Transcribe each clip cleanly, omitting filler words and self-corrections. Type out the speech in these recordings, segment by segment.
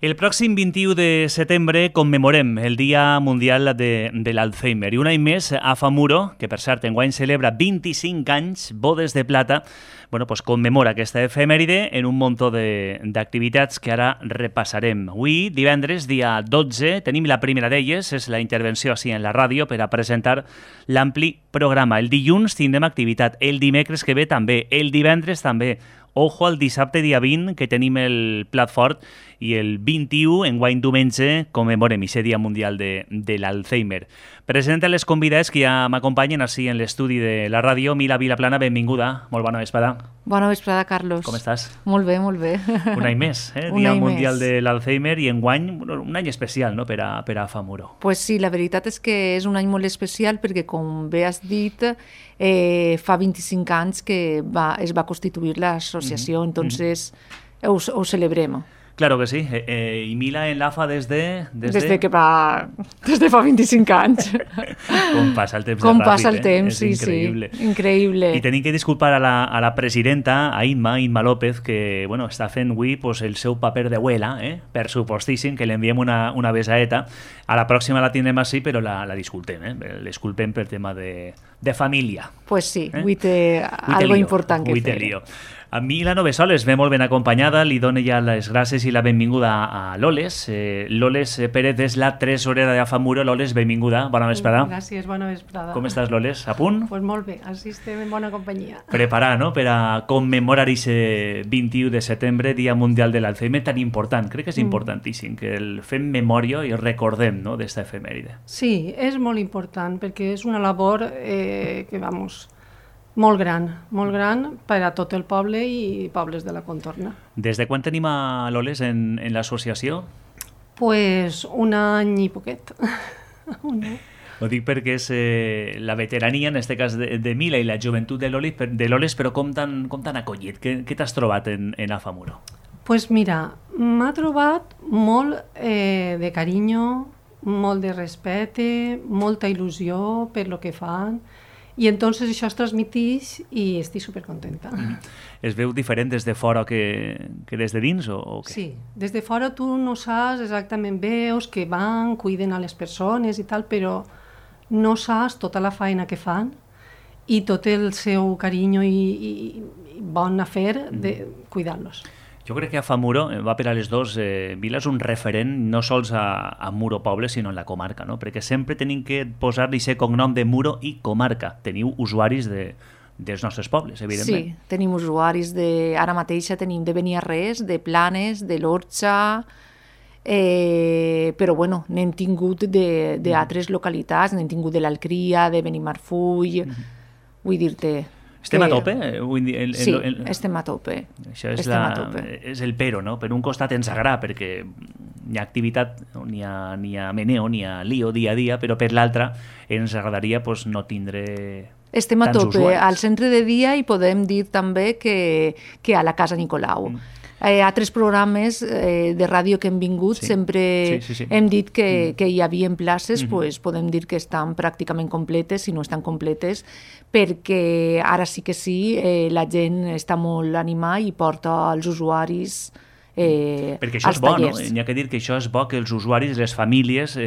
El pròxim 21 de setembre commemorem el Dia Mundial de l'Alzheimer i un any més AFAMURO, que per cert enguany celebra 25 anys, bodes de plata, pues commemora aquesta efemèride en un muntó d'activitats que ara repassarem. Avui, divendres, dia 12, tenim la primera d'elles, és la intervenció així en la ràdio per a presentar l'ampli programa. El dilluns tindrem activitat, el dimecres que ve també, el divendres també. Ojo al dissabte dia 20, que tenim el plat fort, i el 21, enguany diumenge, commemorem aquest Dia Mundial de l'Alzheimer. Presenta les convidades que ja m'acompanyen així en l'estudi de la ràdio. Mila Vilaplana, benvinguda. Molt bona vesprada. Bona vesprada, Carlos. Com estàs? Molt bé, molt bé. Un any més, Dia Mundial de l'Alzheimer, i enguany un any especial, no?, per a AFAMURO. Pues sí, la veritat és que és un any molt especial perquè, com bé has dit, fa 25 anys que es va constituir l'associació, entonces ho celebrem. Claro que sí. I Mila en l'AFA des de fa 25 anys. Com passa el temps Com ràpid, passa el temps, és increïble. Sí, increïble. I tenim que disculpar a la presidenta, a Imma López, que està fent avui el seu paper d'abuela, per supostíssim, que li enviem una besaeta. A la pròxima la tindrem així, però la disculpem, L'esculpem per tema de família. Pues sí, avui té algo important que fer. A Mila Novesoles ve molt ben acompanyada, li dono ja les gràcies i la benvinguda a Loles. Loles Pérez és la tresorera d'AFAMURO. Loles, benvinguda, bona vesprada. Gràcies, bona vesprada. Com estàs, Loles? A punt? Pues molt bé, així estem en bona companyia. Preparar, no?, per a commemorar aquest 21 de setembre, Dia Mundial de l'Alzheimer, tan important. Crec que és importantíssim que el fem memòria i recordem, no?, d'esta efemèride. Sí, és molt important, perquè és una labor molt gran per a tot el poble i pobles de la contorna. Des de quan tenim a Loles en l'associació? Pues un any i poquet. Ho dic perquè és la veterania, en aquest cas de Mila, i la joventut de Loles, però com t'han acollit? Què t'has trobat en AFAMURO? Pues mira, m'ha trobat molt de carinyo, molt de respecte, molta il·lusió per lo que fan, i entonces això es transmiteix i estic supercontenta. Es veu diferent des de fora que des de dins o què? Sí, des de fora tu no saps exactament, veus que van, cuiden a les persones i tal, però no saps tota la feina que fan i tot el seu carinyo i bon afer de cuidar-los. Jo crec que AFAMURO va per a les dos. Vila és un referent no sols a Muro Poble, sinó en la comarca, no? Perquè sempre tenim que posar-li aquest cognom de Muro i comarca. Teniu usuaris dels nostres pobles, evidentment. Sí, tenim usuaris ara mateixa tenim de Beniarrés, de Planes, de l'Orxa, però bueno, n'hem tingut d'altres localitats, n'hem tingut de l'Alcria, de Benimarfull, vull dir-te... Estem a tope? Sí, estem a tope. Això és el però, no? Per un costat ens agrada perquè hi ha activitat, n'hi ha meneo, n'hi ha lío dia a dia, però per l'altra ens agradaria no tindre estem a tants tope usuaris. Al centre de dia, i podem dir també que a la Casa Nicolau. Altres programes de ràdio que hem vingut sempre hem dit que hi havia places, podem dir que estan pràcticament completes, si no estan completes, perquè ara sí que sí, la gent està molt animada i porta els usuaris perquè això és bo, no? Hi ha que dir que això és bo, que els usuaris, les famílies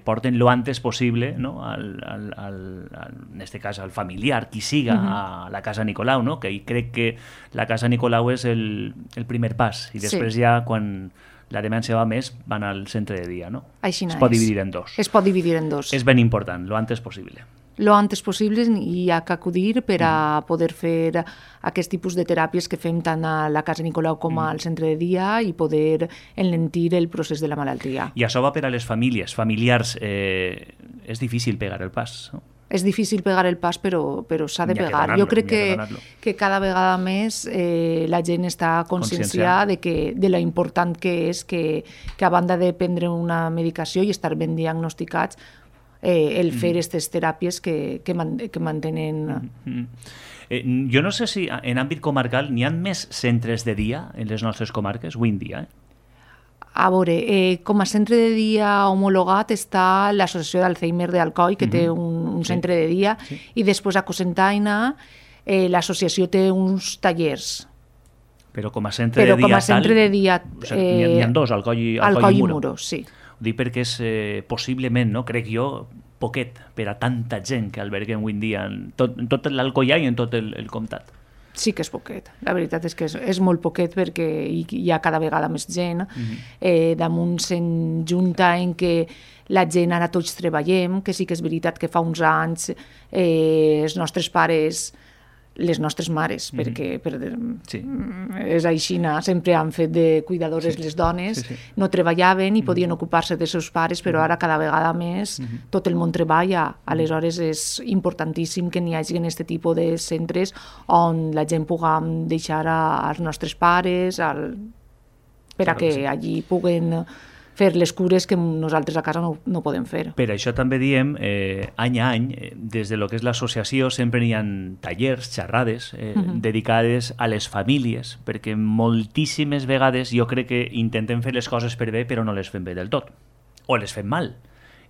porten lo antes possible, no? En aquest cas al familiar, qui siga, a la Casa Nicolau, no? Que crec que la Casa Nicolau és el primer pas, i després ja quan la demència va més van al centre de dia, no? Així es pot dividir en dos. Es pot dividir en dos. És ben important, lo antes possible. Lo antes possible, hi ha que acudir per a poder fer aquest tipus de teràpies que fem tant a la Casa Nicolau com al centre de dia i poder enlentir el procés de la malaltia. I això va per a les famílies. Familiars, és difícil pegar el pas, no? És difícil pegar el pas, però s'ha de pegar. Jo crec que cada vegada més la gent està conscienciada de lo important que és que a banda de prendre una medicació i estar ben diagnosticats, el fer aquestes teràpies que mantenen... Jo no sé si en àmbit comarcal n'hi ha més centres de dia en les nostres comarques, avui en dia. A veure, com a centre de dia homologat està l'Associació d'Alzheimer d'Alcoi, que té un centre de dia, i després a Cocentaina l'associació té uns tallers. Però com a centre de dia... Però com a centre de dia... N'hi ha dos, Alcoi i Muro, sí. Ho dic perquè és possiblement, no, crec jo, poquet per a tanta gent que alberguem avui en dia en tot l'Alcoià i en tot el comtat. Sí que és poquet, la veritat és que és molt poquet perquè hi ha cada vegada més gent. Damunt se'n junta en què la gent ara tots treballem, que sí que és veritat que fa uns anys els nostres pares, les nostres mares, perquè és així, sempre han fet de cuidadores les dones, no treballaven i podien ocupar-se dels seus pares, però ara cada vegada més tot el món treballa. Aleshores és importantíssim que n'hi hagi aquest tipus de centres on la gent puguem deixar als nostres pares per a que allí puguen fer les cures que nosaltres a casa no podem fer. Per això també diem, any a any, des de lo que és l'associació, sempre hi ha tallers, xerrades, dedicades a les famílies, perquè moltíssimes vegades jo crec que intentem fer les coses per bé, però no les fem bé del tot, o les fem mal.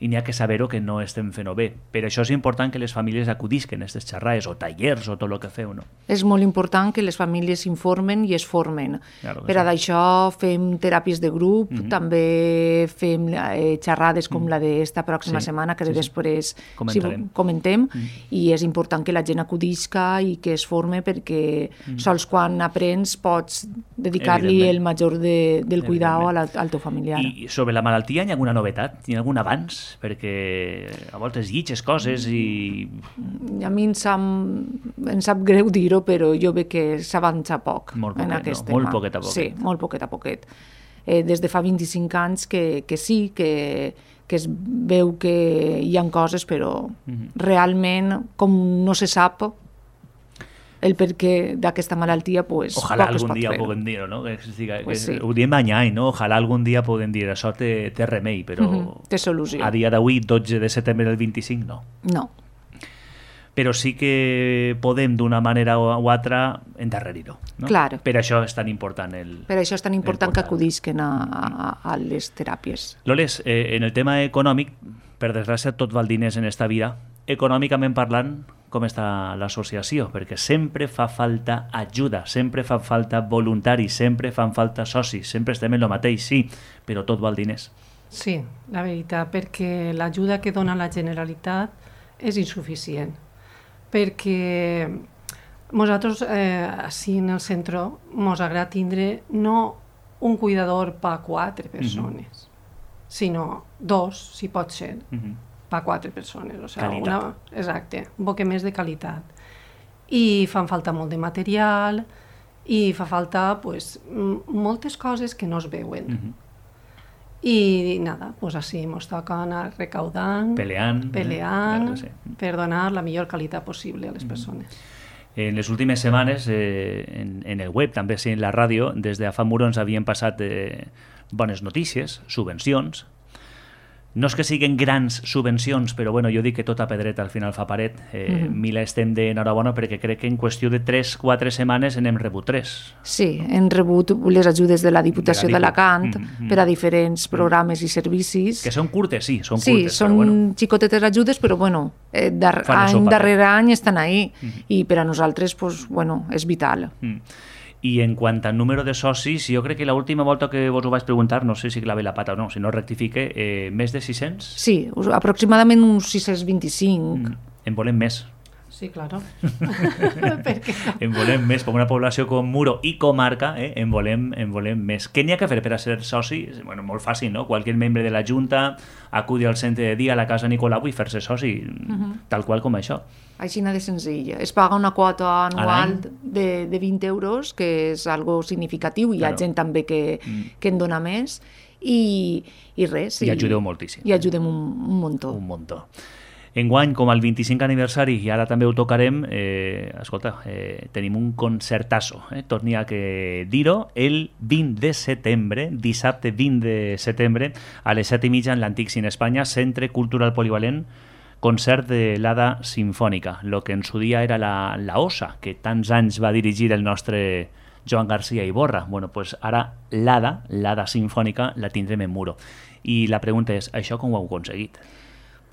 I n'hi ha que saber-ho que no estem fent-ho bé. Per això és important que les famílies acudisquen a aquestes xerrades o tallers o tot el que feu, no? És molt important que les famílies s'informen i es formen. Per a d'això fem teràpies de grup, també fem xerrades com la d'esta pròxima setmana, que després comentem, i és important que la gent acudisca i que es forme perquè sols quan aprens pots dedicar-li el major del cuidado al teu familiar. I sobre la malaltia hi ha alguna novetat? Hi ha algun avanç? Perquè a voltes llitges coses i... A mi em sap greu dir-ho, però jo veig que s'avança poc en aquest tema. Molt poquet a poquet. Sí, molt poquet a poquet. Des de fa 25 anys que sí, que es veu que hi ha coses, però realment, com no se sap el perquè d'aquesta malaltia, pues, ojalà algun dia puguem dir-ho, no? Ho diem any a any, no? Ojalà algun dia puguem dir això té remei, però té solució. A dia d'avui, 12 de setembre del 25, no. No. Però sí que podem, d'una manera o altra, endarrerir-ho. No? Clar. Per això és tan important Per això és tan important que acudisquen a les teràpies. Loles, en el tema econòmic, per desgràcia, tot val diners en esta vida. Econòmicament parlant, com està l'associació? Perquè sempre fa falta ajuda, sempre fa falta voluntaris, sempre fan falta socis, sempre estem en el mateix, sí, però tot val diners. Sí, la veritat, perquè l'ajuda que dona la Generalitat és insuficient. Perquè nosaltres, així en el centre, ens agrada tindre no un cuidador per 4 persones, sinó 2, si pot ser. Per 4 persones. O sigui, exacte, un poc més de qualitat. I fan falta molt de material i fa falta moltes coses que no es veuen. I nada, pues així ens toca anar recaudant, peleant per donar la millor qualitat possible a les persones. En les últimes setmanes, en el web, també en la ràdio, des de Afamuro ens havien passat bones notícies, subvencions. No és que siguin grans subvencions, però bueno, jo dic que tota pedreta al final fa paret. Mila estem d'enhorabona perquè crec que en qüestió de 3-4 setmanes n'hem rebut 3. Sí, hem rebut les ajudes de la Diputació d'Alacant per a diferents programes i servicis. Que són curtes, sí, són curtes. Sí, són xicotetes ajudes, però bueno, any darrere any estan ahí. I per a nosaltres, és vital. I en quant al número de socis, jo crec que l'última volta que vos ho vaig preguntar, no sé si clavé la pata o no, si no rectifique, més de 600? Sí, aproximadament uns 625. En volem més. Sí, claro. En volem més, com una població com Muro i comarca, en volem més. Què n'hi ha que fer per a ser soci? Bueno, molt fàcil, no? Qualsevol membre de la Junta acudi al centre de dia a la Casa Nicolau i fer-se soci, tal qual com això. Així de senzill. Es paga una quota anual de 20 euros, que és algo significatiu, hi ha gent també que en dona més, i res. I ajudeu moltíssim. I ajudem un muntó. Un muntó. Enguany, com al 25 aniversari, i ara també ho tocarem, escolta, tenim un concertasso, torni a que dir-ho, el 20 de setembre, dissabte 20 de setembre, a les 7:30 en l'Antic Cine Espanya, Centre Cultural Polivalent, concert de l'Ada Sinfònica, el que en su dia era la OSA, que tants anys va dirigir el nostre Joan García Iborra. Bueno, pues ara l'Ada Sinfònica, la tindrem en Muro. I la pregunta és, això com ho heu aconseguit?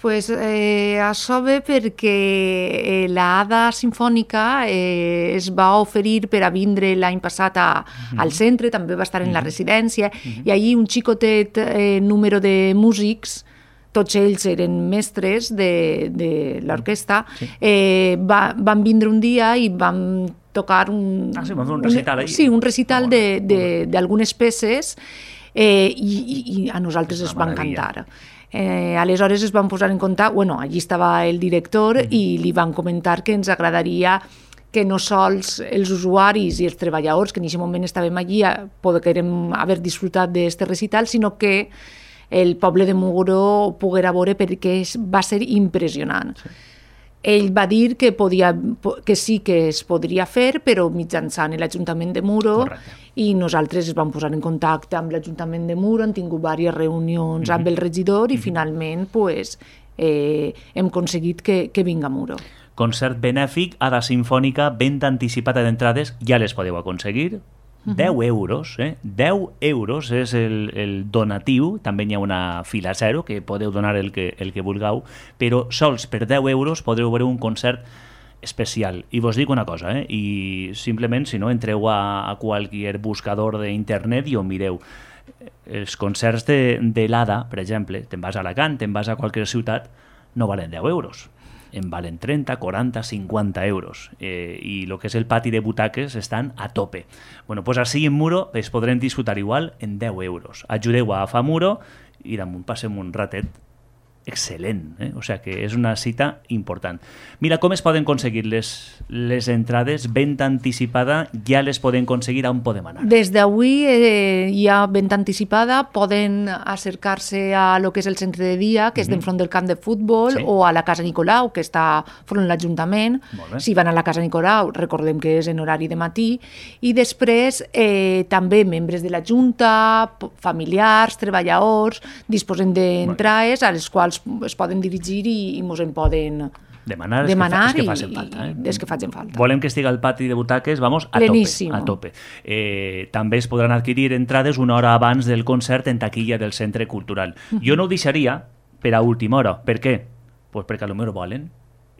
Pues això ve perquè l'Ada Simfònica es va oferir per a vindre l'any passat al centre, també va estar en la residència, i allí un xicotet número de músics, tots ells eren mestres de l'orquestra, van vindre un dia i van tocar un recital. Sí, un recital d'algunes peces i a nosaltres es va encantar. Aleshores es van posar en contacte, allí estava el director i li van comentar que ens agradaria que no sols els usuaris i els treballadors que en aquest moment estàvem allí poguérem haver disfrutat d'aquest recital, sinó que el poble de Muro poguera veure perquè va ser impressionant. Sí. Ell va dir que sí que es podria fer, però mitjançant l'Ajuntament de Muro. Correcte. I nosaltres es vam posar en contacte amb l'Ajuntament de Muro, hem tingut diverses reunions amb el regidor i finalment hem aconseguit que vinga a Muro. Concert benèfic, Ada Simfònica, venda anticipada d'entrades, ja les podeu aconseguir. 10 euros, 10 euros és el donatiu, també hi ha una fila zero que podeu donar el que vulgueu, però sols per 10 euros podreu veure un concert especial. I vos dic una cosa, i simplement si no entreu a qualsevol buscador d'internet i ho mireu. Els concerts de l'Ada, per exemple, te'n vas a Alacant, te'n vas a qualsevol ciutat, no valen 10 euros. En valen 30, 40, 50 euros. I el que és el pati de butaques estan a tope. Bueno, pues així en Muro es podrem disfrutar igual en 10 euros. Ajudeu a Muro i damunt passem un ratet excel·lent. O sigui que és una cita important. Mira, com es poden aconseguir les entrades? Venda anticipada, ja les poden aconseguir, on podem anar? Des d'avui hi ha venda anticipada, poden acercar-se a lo que és el centre de dia, que és d'enfront del camp de futbol, o a la Casa Nicolau, que està front a l'Ajuntament. Si van a la Casa Nicolau, recordem que és en horari de matí, i després també membres de la Junta, familiars, treballadors, disposen d'entrades a les quals es poden dirigir i ens en poden demanar els que facin falta. Els que facin falta. Volem que estigui al pati de butaques, vamos, a tope. També es podran adquirir entrades una hora abans del concert en taquilla del Centre Cultural. Jo no ho deixaria per a última hora. Per què? Pues perquè potser volen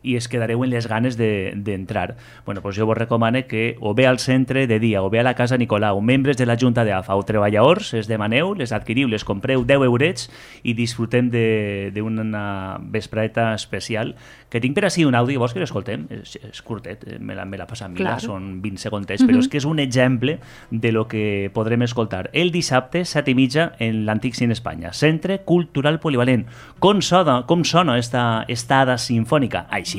i es quedareu en les ganes d'entrar. Bueno, pues jo vos recomano que o bé al centre de dia o bé a la Casa Nicolau, membres de la Junta d'AFA o treballadors, es demaneu, les adquiriu, les compreu 10 eurets i disfrutem d'una vespreta especial que tinc per així un àudio, vols que l'escoltem? És curtet, me l'ha passat Mila, són 20 segondets, però és que és un exemple de lo que podrem escoltar el dissabte, 7:30, en l'Antic Cine Espanya, Centre Cultural Polivalent. Com sona esta Ada Simfònica? Així.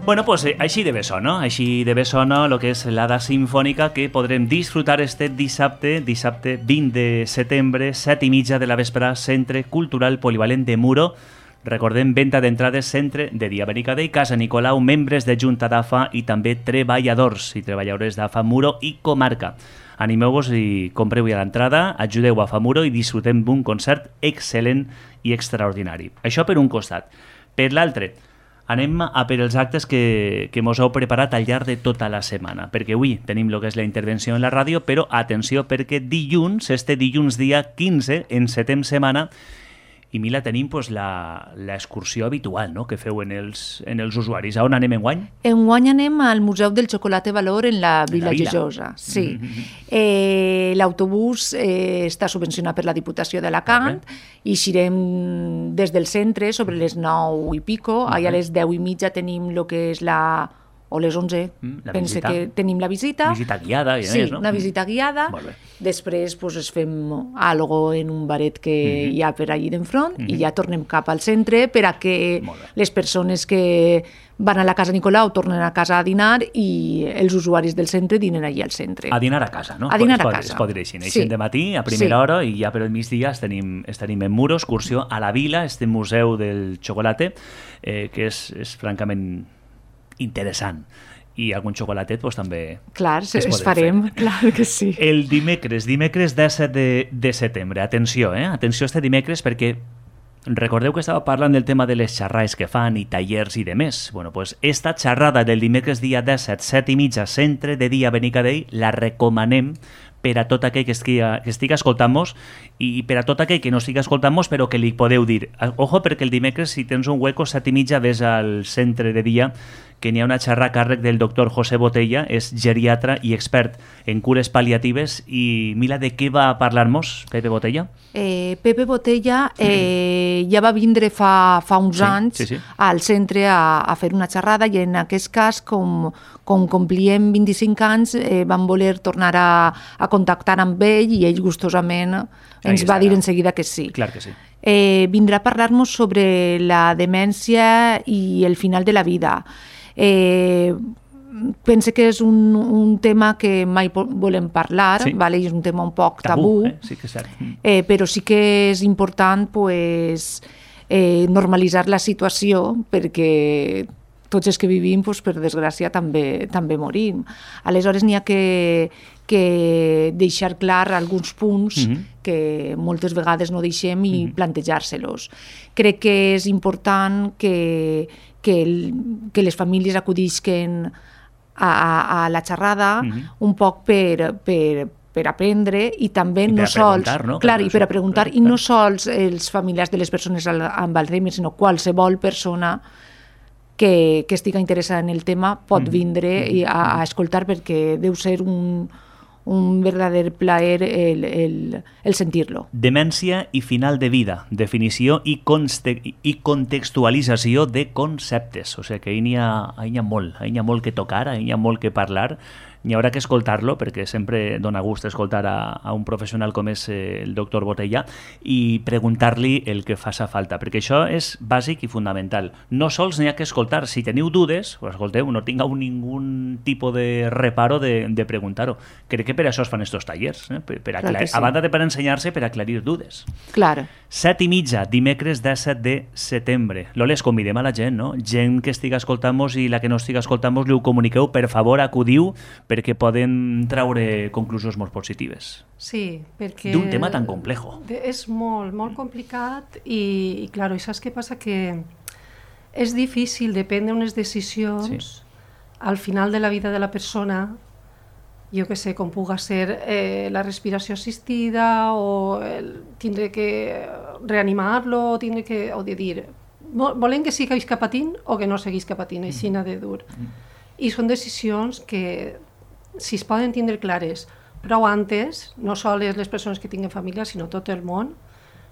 Bueno, pues així de bé sona el que és l'Ada Simfònica, que podrem disfrutar este dissabte 20 de setembre, 7:30 de la vespre, Centre Cultural Polivalent de Muro. Recordem, venda d'entrades, Centre de dia Benicadell, Casa Nicolau, membres de Junta d'AFA i també treballadors i treballadores d'AFA Muro i comarca. Animeu-vos i compreu ja l'entrada, ajudeu a AFA Muro i disfrutem d'un concert excel·lent i extraordinari. Això per un costat. Per l'altre, anem a per els actes que mos heu preparat al llarg de tota la setmana, perquè avui tenim el que és la intervenció en la ràdio, però atenció, perquè dilluns, dilluns dia 15, encetem setmana, i Mila, tenim l'excursió habitual, no?, que feu en els usuaris. A on anem enguany? Enguany anem al Museu del Xocolate Valor en la Vila Joiosa. Sí. L'autobús està subvencionat per la Diputació d'Alacant i eixirem des del centre sobre les 9 i pico. Allà a les 10:30 tenim el que és o les 11. Pense que tenim la visita. Visita guiada, i sí, més, no? Una visita guiada. Després es fem algo en un baret que hi ha per allí d'enfront i ja tornem cap al centre per a que les persones que van a la Casa Nicolau tornen a casa a dinar i els usuaris del centre dinen allí al centre. A dinar a casa, no? A dinar a casa. Es pot dir així. Neixen de matí, a primera hora, i ja per el migdia estaríem en Muro, excursió a la Vila, este museu del xocolate, que és francament interessant. I algun xocolatet també clar, es farem, clar que sí. El dimecres 17 de setembre. Atenció, atenció este dimecres perquè recordeu que estava parlant del tema de les xerrades que fan i tallers i demés. Bueno, pues esta xerrada del dimecres dia 17, 7:30, centre de dia Benicadell, la recomanem per a tot aquell que estigui escoltant-nos i per a tot aquell que no estigui escoltant-nos però que li podeu dir. Ojo, perquè el dimecres, si tens un hueco, 7:30, ves al centre de dia que n'hi ha una xerrada a càrrec del doctor José Botella, és geriatra i expert en cures pal·liatives. I Mila, de què va parlar-nos Pepe Botella? Pepe Botella ja va vindre fa uns anys al centre a fer una xerrada i en aquest cas, com complíem 25 anys, vam voler tornar a contactar amb ell i ell gustosament ens va dir en seguida que sí. Clar que sí. Vindrà a parlar-nos sobre la demència i el final de la vida. Pense que és un tema que mai volem parlar, és un tema un poc tabú, sí que és cert. Però sí que és important normalitzar la situació perquè tots els que vivim, per desgràcia, també morim. Aleshores n'hi ha que deixar clar alguns punts que moltes vegades no deixem i plantejar-se-los. Crec que és important que les famílies acudisquen a la xerrada un poc per aprendre i també no sols... Clar, i per a preguntar, i no sols els familiars de les persones amb Alzheimer, sinó qualsevol persona que estigui interessada en el tema pot vindre a escoltar perquè deu ser un verdader plaer el sentir-lo. Demència i final de vida, definició i contextualització de conceptes. O sigui que hi ha molt que tocar, hi ha molt que parlar. N'hi haurà que escoltar-lo, perquè sempre dona gust escoltar a un professional com és el doctor Botella i preguntar-li el que faça falta, perquè això és bàsic i fundamental. No sols n'hi ha que escoltar. Si teniu dudes, escolteu, no tingueu ningun tipus de reparo de preguntar-ho. Crec que per això es fan estos tallers, a banda de per ensenyar-se, per aclarir dudes. Clar. 7:30, dimecres 17 de setembre. Loles, convidem a la gent, no? Gent que estiga escoltant-nos i la que no estiga escoltant-nos, li ho comuniqueu, per favor, acudiu, perquè poden traure conclusions molt positives. Sí, perquè... D'un tema tan complejo. És molt, molt complicat i claro, i saps què passa? Que és difícil de prendre unes decisions al final de la vida de la persona, jo que sé, com puga ser la respiració assistida o tindre que reanimar-lo, o de dir, volem que seguisca patint o que no seguisca patint, així n'ha de dur. I són decisions que, si es poden tindre clares prou antes, no sols les persones que tinguen família, sinó tot el món,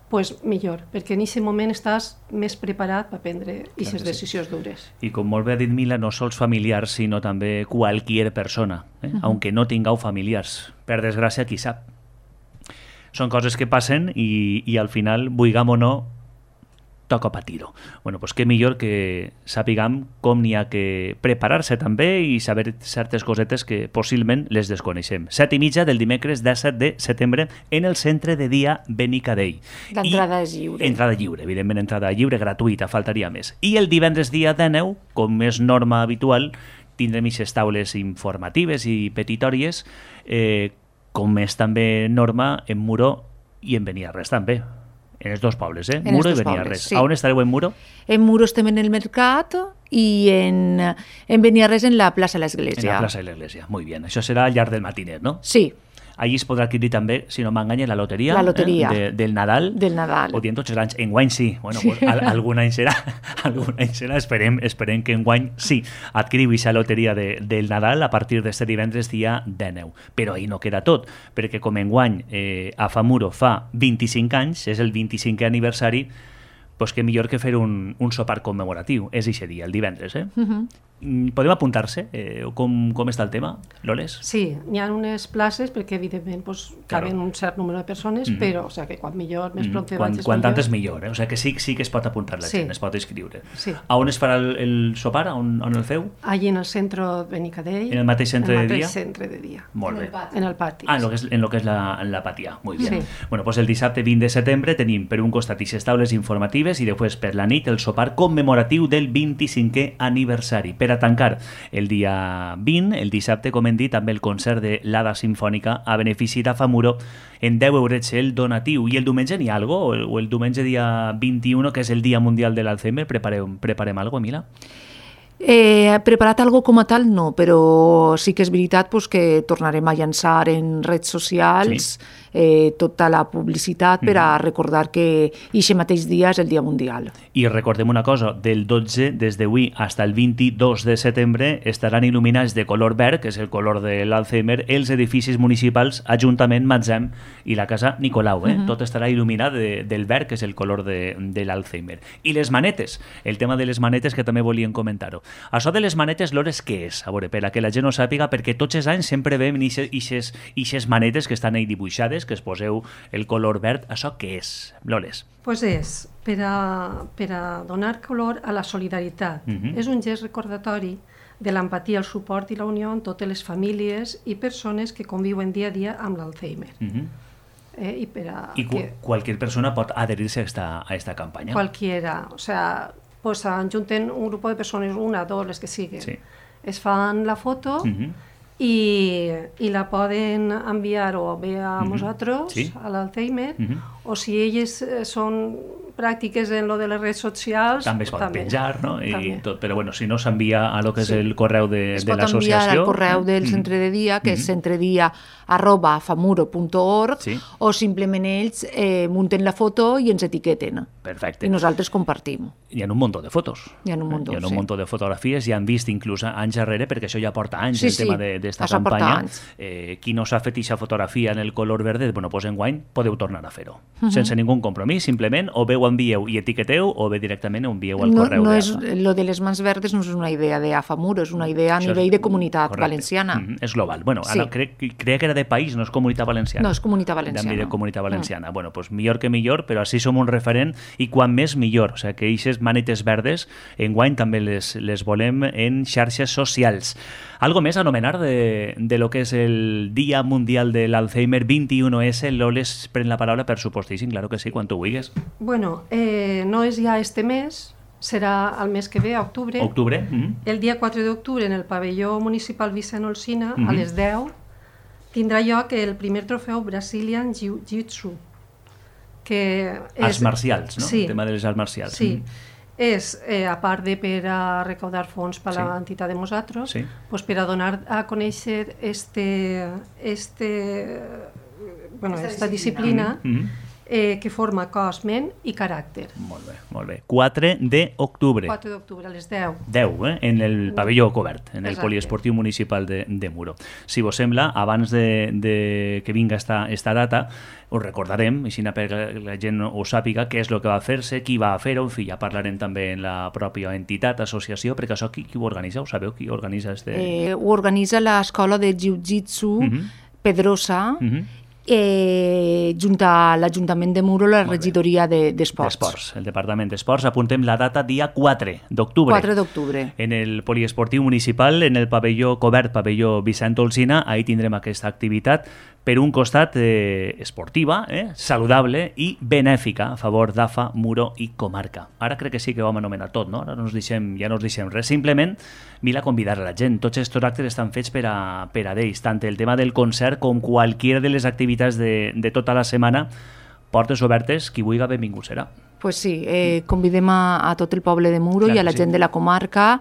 doncs millor, perquè en aquest moment estàs més preparat per prendre aquestes decisions dures. I com molt bé ha dit Mila, no sols familiars, sinó també qualsevol persona, aunque no tingueu familiars. Per desgràcia, qui sap. Són coses que passen i al final, vulguem o no, toca patir-ho. Bueno, doncs què millor que sapiguem com n'hi ha que preparar-se també i saber certes cosetes que possiblement les desconeixem. 7:30 del dimecres 17 de setembre en el centre de dia Benicadell. L'entrada és lliure. Entrada lliure, evidentment entrada lliure, gratuïta, faltaria més. I el divendres dia 19, com és norma habitual, tindrem aquestes taules informatives i petitòries, com és també norma en Muro i en Beniarrés també. En els dos pobles, Muro i Beniarrés. Sí. A on estareu en Muro? En Muro estem en el Mercat i en Beniarrés en la plaça de l'Església. En la plaça de l'Església, muy bien. Això serà al llarg del matiner, no? Sí. Allí es podrà adquirir també, si no m'enganya, la loteria. La loteria. Del Nadal. Del Nadal. O dient tots els anys. Enguany sí. Bueno, pues, algun any serà. Esperem que enguany sí. Adquiriu aquesta loteria del Nadal a partir d'este divendres dia 19. Però ahí no queda tot, perquè com enguany a Famuro fa 25 anys, és el 25è aniversari, doncs que millor que fer un sopar commemoratiu. És aquest dia, el divendres, Podem apuntar-se? Com està el tema, Loles? Sí, n'hi ha unes places perquè, evidentment, caben un cert número de persones, però, o sigui, que quan millor, més pront vaig, quan tant és millor, O sigui, que sí que es pot apuntar la gent, es pot inscriure. Sí. A on es farà el sopar? On el feu? Allí en el centre de Benicadell. En el mateix centre de dia? En el mateix centre de dia. Molt bé. En el pati. En lo que és la Patià. Muy bien. Sí. Bueno, pues el dissabte 20 de setembre tenim per un costat ixes taules informatives i després per la nit el sopar commemoratiu del 25è aniversari. Per a tancar el dia 20, el dissabte, com hem dit, amb el concert de l'Ada Simfònica a benefici d'Afamuro en 10 eurets el donatiu. I el diumenge n'hi ha algo? O el diumenge dia 21, que és el Dia Mundial de l'Alzheimer, preparem algo, Mila? Preparat algo com a tal no, però sí que és veritat que tornarem a llançar en redes socials tota la publicitat per a recordar que aquest mateix dia és el Dia Mundial. I recordem una cosa, del 12 des d'avui fins al 22 de setembre estaran il·luminats de color verd, que és el color de l'Alzheimer, els edificis municipals, Ajuntament, Matzem i la Casa Nicolau. Tot estarà il·luminat del verd, que és el color de l'Alzheimer. I les manetes, el tema de les manetes que també volíem comentar-ho. Això de les manetes, Lores, què és? A veure, per a que la gent ho sàpiga, perquè tots els anys sempre veiem ixes manetes que estan ahí dibuixades, que es poseu el color verd. Això què és, Lores? Pues és per a donar color a la solidaritat. És un gest recordatori de l'empatia, el suport i la unió en totes les famílies i persones que conviuen dia a dia amb l'Alzheimer. Qualsevol persona pot adherir-se a esta campanya? Cualquiera, o sea, pues ajunten un grupo de personas, una, dos, les que siguen. Sí. Es fan la foto i la poden enviar o bé a nosaltres, a l'Alzheimer, o si elles són pràctiques en lo de les redes socials... També es pot penjar, no? Però bueno, si no s'envia a lo que és el correu de l'associació... Es pot enviar al correu del centre de dia, que és centredia@famuro.org, o simplement ells munten la foto i ens etiqueten. Perfecte. I nosaltres compartim. Hi ha un munt de fotos. Hi ha un munt de fotografies, i han vist inclús anys darrere, perquè això ja porta anys, el tema d'esta campanya. Qui no s'ha fet aquesta fotografia en el color verde, bueno, doncs enguany podeu tornar a fer-ho. Sense ningú compromís, simplement, o bé ho envieu i etiqueteu, o bé directament ho envieu al correu d'AFA. Lo de les mans verdes no és una idea d'AFAMuro, és una idea a nivell de comunitat valenciana. És global. Bueno, ara crec que era de país, no és comunitat valenciana. No, és comunitat valenciana. D'àmbit de comunitat valenciana. Bueno, doncs millor que millor, però així som un referent, i quan més millor. O sigui, que aquestes manetes verdes, enguany també les volem en xarxes socials. Algo més a anomenar de lo que és el Dia Mundial de l'Alzheimer 21S? Loles, pren la paraula, per supostíssim, claro que sí, quan tu vulguis. Bueno, no és ja este mes, serà el mes que ve, a octubre. Octubre. El dia 4 d'octubre, en el pavelló municipal Vicent Olsina, a les 10, tindrà lloc el primer trofeu Brazilian Jiu-Jitsu. Arts marcials, no? Sí. El tema de les arts marcials. Sí. És, a part de per a recaudar fons per a l'entitat de nosaltres, pues per a donar a conèixer esta disciplina que forma cos, ment i caràcter. Molt bé, molt bé. 4 d'octubre. 4 d'octubre, a les 10. 10, en el pavelló cobert, en el poliesportiu municipal de Muro. Si vos sembla, abans de que vinga esta data, us recordarem, així perquè la gent ho sàpiga, què és el que va fer-se, qui va fer-ho, en fi, ja parlarem també en la pròpia entitat, associació, perquè això qui ho organitza? Ho sabeu qui organitza? Ho organitza l'Escola de Jiu-Jitsu Pedrosa, junt a l'Ajuntament de Muro, la regidoria d'Esports. El Departament d'Esports. Apuntem la data dia 4 d'octubre. 4 d'octubre. En el poliesportiu municipal, en el pavelló cobert, pavelló Vicent Olsina, ahí tindrem aquesta activitat, per un costat esportiva, saludable i benèfica a favor d'AFA, Muro i comarca. Ara crec que sí que ho vam anomenar tot, no? Ara ja no us deixem res. Simplement, Mila, convidar a la gent. Tots aquests actes estan fets per a ells, tant el tema del concert com qualquiera de les activitats de tota la setmana. Portes obertes, qui vulgui benvingut serà. Pues sí, convidem a tot el poble de Muro i a la gent de la comarca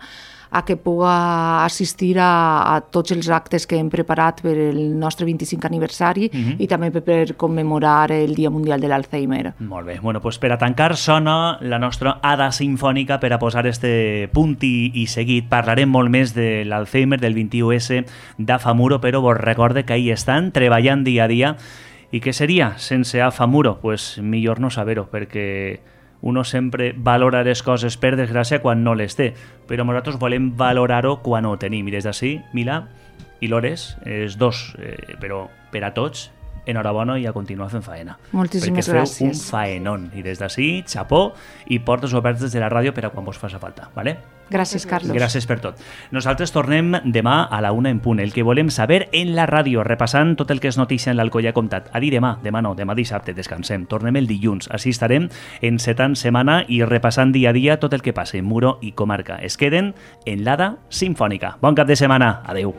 a que puga assistir a tots els actes que hem preparat per el nostre 25 aniversari i també per commemorar el Dia Mundial de l'Alzheimer. Molt bé. Bueno, pues per a tancar sona la nostra Ada Simfònica per a posar este punt i seguit. Parlarem molt més de l'Alzheimer, del 21S d'AFAMuro, però vos recorde que ahí estan treballant dia a dia. I què seria sense AFAMuro? Pues millor no saber-ho, perquè Uno sempre valora les coses, per desgràcia, quan no les té, però nosaltres volem valorar-ho quan ho tenim. I des d'ací, Mila i Lores, els dos, però per a tots, enhorabona i a continuar fent faena. Moltíssimes gràcies. Perquè feu un faenón. I des d'ací, xapó, i portes obertes de la ràdio per a quan vos faci falta. ¿Vale? Gràcies, Carlos. Gràcies per tot. Nosaltres tornem demà a la 1 en punt. El que volem saber en la ràdio, repassant tot el que és notícia en l'Alcoià Comtat. A dir demà no, demà dissabte, descansem. Tornem el dilluns. Així estarem encetant setmana i repassant dia a dia tot el que passa en Muro i comarca. Es queden en l'Ada Simfònica. Bon cap de setmana. Adeu.